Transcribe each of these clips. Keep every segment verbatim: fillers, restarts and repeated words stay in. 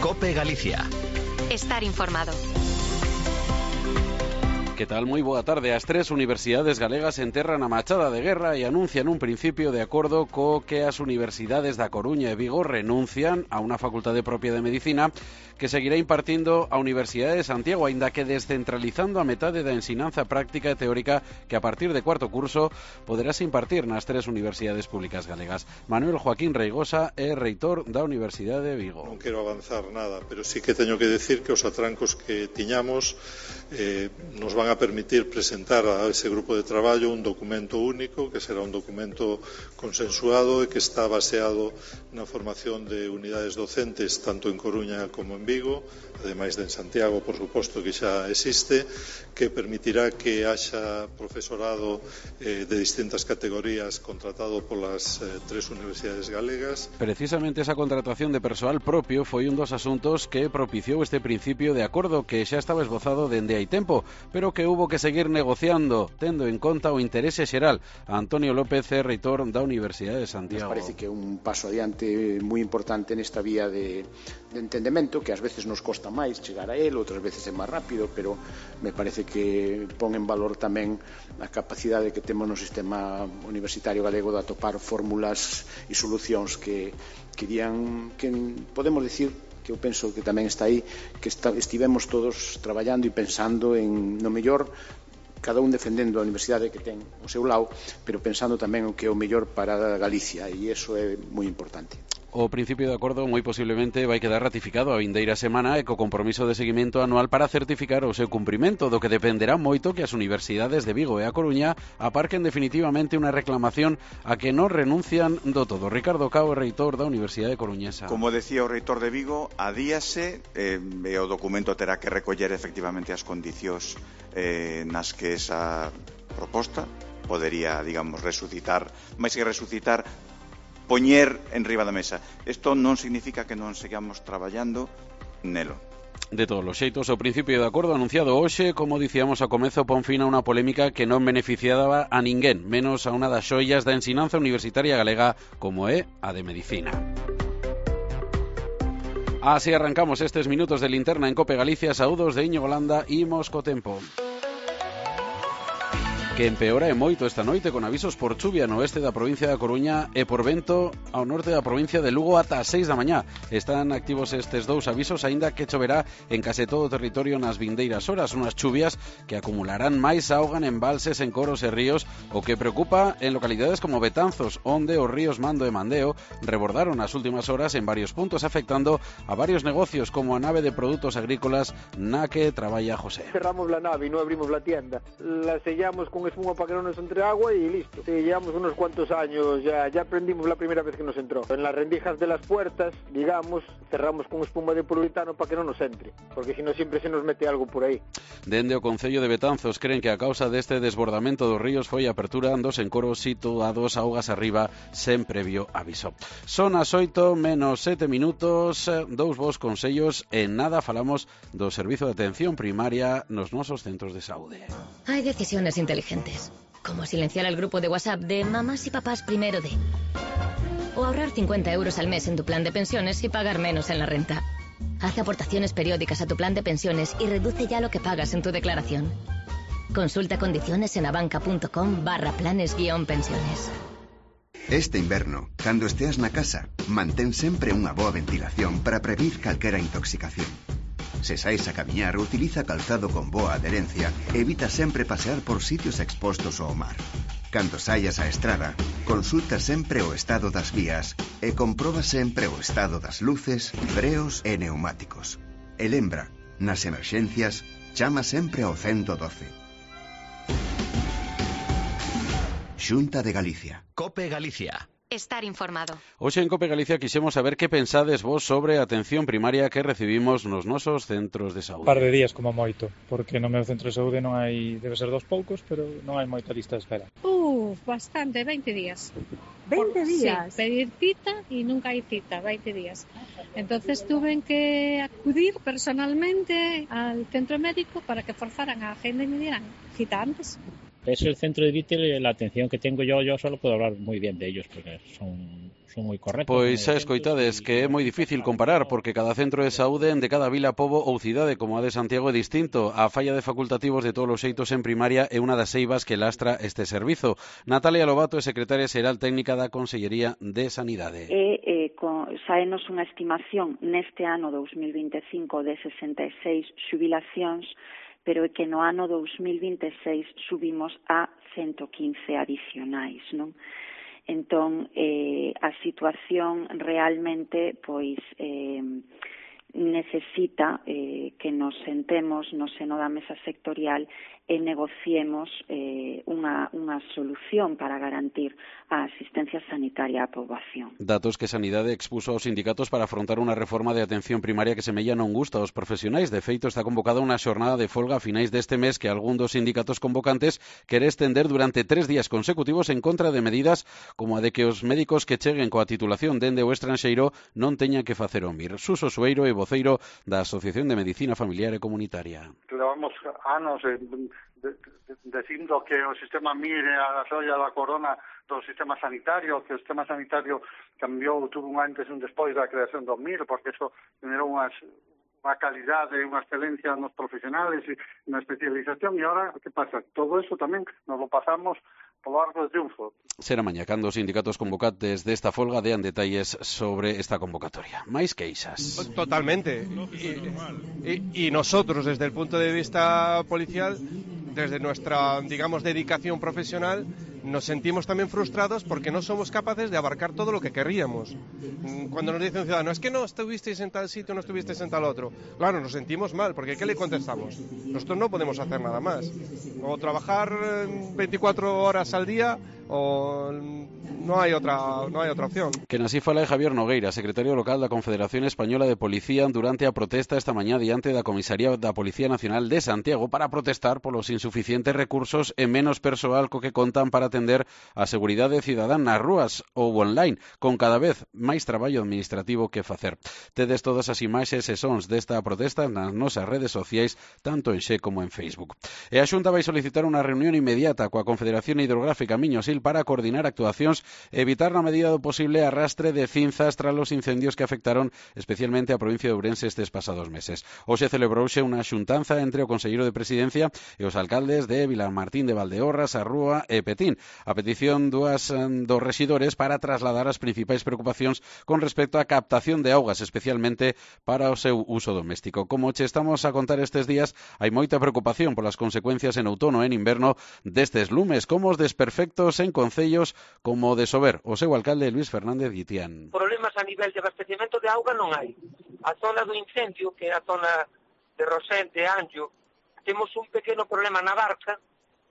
COPE Galicia. Estar informado. Que tal? Moi boa tarde. As tres universidades galegas enterran a machada de guerra e anuncian un principio de acordo co que as universidades da Coruña e Vigo renuncian a unha facultade propia de Medicina que seguirá impartindo a Universidade de Santiago, aínda que descentralizando a metade da ensinanza práctica e teórica que a partir de cuarto curso poderase impartir nas tres universidades públicas galegas. Manuel Joaquín Reigosa é reitor da Universidade de Vigo. Non quero avanzar nada, pero sí que teño que decir que os atrancos que tiñamos eh, nos van a permitir presentar a ese grupo de traballo un documento único, que será un documento consensuado e que está baseado na formación de unidades docentes tanto en Coruña como en Vigo, ademais de en Santiago, por suposto, que xa existe, que permitirá que haxa profesorado eh, de distintas categorías contratado polas eh, tres universidades galegas. Precisamente esa contratación de persoal propio foi un dos asuntos que propiciou este principio de acordo que xa estaba esbozado dende hai tempo, pero que hubo que seguir negociando, tendo en conta o interese xeral. Antonio López é reitor da Universidade de Santiago. Nos parece que é un paso adiante moi importante nesta vía de, de entendemento, que ás veces nos costa máis chegar a él, outras veces é máis rápido, pero me parece que pon en valor tamén a capacidade que temos no sistema universitario galego de atopar fórmulas e solucións que, que dirían, que podemos dicir, que eu penso que tamén está aí, que está, estivemos todos traballando e pensando en, no mellor, cada un defendendo a universidade que ten o seu lado, pero pensando tamén o que é o mellor para Galicia, e iso é moi importante. O principio de acordo moi posiblemente vai quedar ratificado a vindeira semana e co compromiso de seguimento anual para certificar o seu cumprimento, do que dependerá moito que as universidades de Vigo e a Coruña aparquen definitivamente unha reclamación a que non renuncian do todo. Ricardo Cao, reitor da Universidade Coruñesa. Como decía o reitor de Vigo, adíase eh, e o documento terá que recoller efectivamente as condicións eh, nas que esa proposta podería, digamos, resucitar, máis que resucitar, poñer en riba da mesa. Isto non significa que non sigamos traballando nelo. De todos os xeitos, o principio de acordo anunciado hoxe, como dicíamos ao comezo, pon fin a unha polémica que non beneficiaba a ninguén, menos a unha das xoias da ensinanza universitaria galega como é a de Medicina. Así arrancamos estes minutos de linterna en COPE Galicia. Saúdos de Íñigo Landa, imos co tempo, que empeora e moito esta noite con avisos por chuvia no oeste da provincia da Coruña e por vento ao norte da provincia de Lugo ata as seis da mañá. Están activos estes dous avisos, aínda que choverá en case todo o territorio nas vindeiras horas, unhas chuvias que acumularán máis auga en embalses, en coros e ríos, o que preocupa en localidades como Betanzos, onde os ríos Mando e Mandeo rebordaron nas últimas horas en varios puntos, afectando a varios negocios como a nave de produtos agrícolas na que traballa José. Cerramos la nave y no abrimos la tienda, la sellamos con espuma para que no nos entre agua y listo. Sí, llevamos unos cuantos años, ya, ya aprendimos la primera vez que nos entró. En las rendijas de las puertas, digamos, cerramos con espuma de poliuretano para que no nos entre, porque si no siempre se nos mete algo por aí. Dende o Concello de Betanzos creen que a causa deste desbordamento dos ríos foi a apertura dos encoros situados augas arriba sen previo aviso. Son as oito menos sete minutos, dous vos consellos, en nada falamos do servizo de atención primaria nos nosos centros de saúde. Hay decisiones inteligentes, como silenciar al grupo de WhatsApp de mamás y papás primero de, o ahorrar cincuenta euros al mes en tu plan de pensiones y pagar menos en la renta. Haz aportaciones periódicas a tu plan de pensiones y reduce ya lo que pagas en tu declaración. Consulta condiciones en abanca.com barra planes guión pensiones. Este inverno, cando esteas na casa, mantén sempre unha boa ventilación para prevenir calquera intoxicación. Se saís a camiñar, utiliza calzado con boa adherencia e evita sempre pasear por sitios expostos ao mar. Cando saias á estrada, consulta sempre o estado das vías e comproba sempre o estado das luces, freos e neumáticos. E lembra, nas emerxencias, chama sempre ao ciento doce. Xunta de Galicia. COPE Galicia. Estar informado. Hoxe en COPE Galicia quixemos saber que pensades vos sobre a atención primaria que recibimos nos nosos centros de saúde. Un par de días como moito, porque no meu centro de saúde non hai, debe ser dos poucos, pero non hai moita lista de espera. Uh, bastante, veinte días. veinte días? Sí, pedir cita y nunca hay cita, veinte días. Entonces tuve que acudir personalmente al centro médico para que forzaran a agenda y me dieran cita antes. Es el centro de Vítel, la atención que tengo yo, yo solo puedo hablar muy bien de ellos porque son son moi correctos. Pois xa escoitades que é moi difícil comparar porque cada centro de saúde de cada vila, pobo ou cidade como a de Santiago é distinto. A falla de facultativos de todos os xeitos en primaria é unha das eivas que lastra este servizo. Natalia Lobato é secretaria xeral técnica da Consellería de Sanidade. E eh, con, saenos unha estimación neste ano dous mil vinte e cinco de sesenta e seis xubilacións, pero é que no ano dous mil vinte e seis subimos a ciento quince adicionais, non? Entón, eh, a situación realmente, pois, eh, necesita eh, que nos sentemos no seno da mesa sectorial e negociemos eh, unha, unha solución para garantir a asistencia sanitaria á poboación. Datos que Sanidade expuso aos sindicatos para afrontar unha reforma de atención primaria que semella non gusta aos profesionais. De feito, está convocada unha xornada de folga a finais deste mes que algún dos sindicatos convocantes quere estender durante tres días consecutivos en contra de medidas como a de que os médicos que cheguen coa titulación dende o estranxeiro non teñan que facer o M I R. Suso Sueiro e voceiro da Asociación de Medicina Familiar e Comunitaria. Levamos anos de, de, de, dicindo que o sistema M I R é a xoia da corona do sistema sanitario, que o sistema sanitario cambiou, tuvo un antes e un despois da creación do M I R, porque eso generou unhas, unha calidade e unha excelencia nos profesionales e na especialización, e ahora, que pasa? Todo eso tamén nos lo pasamos polo arco de triunfo. Será mañá cando os sindicatos convocantes desta folga dean detalles sobre esta convocatoria. Máis queixas. Totalmente. Y, y, y nosotros, desde el punto de vista policial, desde nuestra, digamos, dedicación profesional, nos sentimos también frustrados porque no somos capaces de abarcar todo lo que querríamos. Cuando nos dice un ciudadano, es que no estuvisteis en tal sitio, no estuvisteis en tal otro. Claro, nos sentimos mal, porque ¿qué le contestamos? Nosotros no podemos hacer nada más. O trabajar veinticuatro horas al día, o no hay otra, no hay otra opción. Que así fala Javier Nogueira, secretario local da Confederación Española de Policía, durante a protesta esta mañá diante da Comisaría da Policía Nacional de Santiago para protestar polos insuficientes recursos e menos persoal co que contan para atender a seguridade cidadana nas rúas ou online, con cada vez máis traballo administrativo que facer. Tedes todas as imaxes e sons desta protesta nas nosas redes sociais, tanto en Xe como en Facebook. E a Xunta vai solicitar unha reunión inmediata coa Confederación Hidrográfica Miño-Sil para coordinar actuacións e evitar na medida do posible arrastre de cinzas tras os incendios que afectaron especialmente a provincia de Ourense estes pasados meses. Hoxe celebrouse unha xuntanza entre o Conselleiro de Presidencia e os alcaldes de Vilamartín de Valdeorras, Arrúa e Petín, a petición dúas dos rexidores para trasladar as principais preocupacións con respecto á captación de augas, especialmente para o seu uso doméstico. Como che estamos a contar estes días, hai moita preocupación polas consecuencias en outono e en inverno destes lumes, como os desperfectos en concellos como o de Sober. O seu alcalde Luis Fernández Guitián. Problemas a nivel de abastecemento de auga non hai. A zona do incendio, que é a zona de Rosente, Anxo, temos un pequeno problema na barca,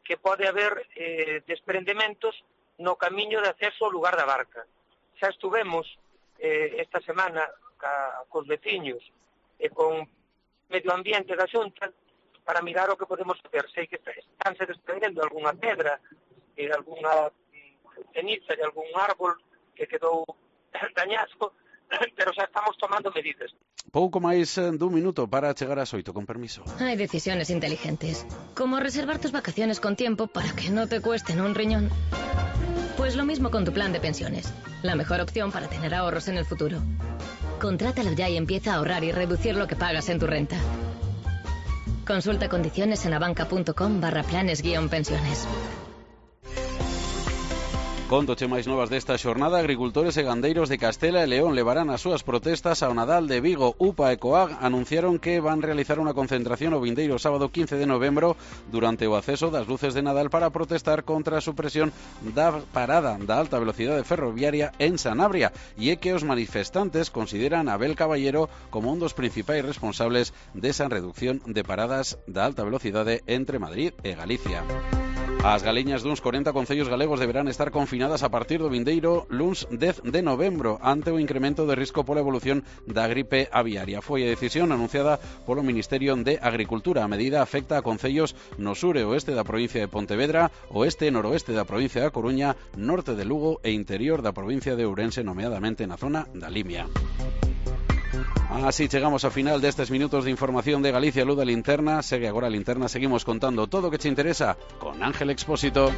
que pode haber eh, desprendementos no camiño de acceso ao lugar da barca. Xa estuvemos eh, esta semana ca, cos veciños e con medio ambiente da Xunta para mirar o que podemos facer. Sei que estánse desprendendo algunha pedra e algunha ceniza de algún árbol que quedou dañado, pero xa estamos tomando medidas. Pouco máis dun minuto para chegar ás oito, con permiso. Hay decisiones inteligentes, como reservar tus vacaciones con tiempo para que no te cuesten un riñón. Pues lo mismo con tu plan de pensiones, la mejor opción para tener ahorros en el futuro. Contrátalo ya y empieza a ahorrar y reducir lo que pagas en tu renta. Consulta condiciones en abanca.com barra planes guión pensiones. Contoche máis novas desta xornada. Agricultores e gandeiros de Castela e León levarán as súas protestas ao Nadal de Vigo. U P A e COAG anunciaron que van realizar unha concentración o vindeiro sábado quince de novembro durante o acceso das luces de Nadal para protestar contra a supresión da parada da alta velocidade ferroviaria en Sanabria, e é que os manifestantes consideran a Abel Caballero como un dos principais responsables desa reducción de paradas da alta velocidade entre Madrid e Galicia. As galiñas duns corenta concellos galegos deberán estar confinadas a partir do vindeiro luns dez de novembro ante o incremento de risco pola evolución da gripe aviaria. Foi a decisión anunciada polo Ministerio de Agricultura. A medida afecta a concellos no sur e oeste da provincia de Pontevedra, oeste e noroeste da provincia da Coruña, norte de Lugo e interior da provincia de Ourense, nomeadamente na zona da Limia. Así chegamos ao final destes minutos de información de Galicia Luz da Linterna. Segue agora a Linterna, seguimos contando todo o que te interesa con Ángel Expósito.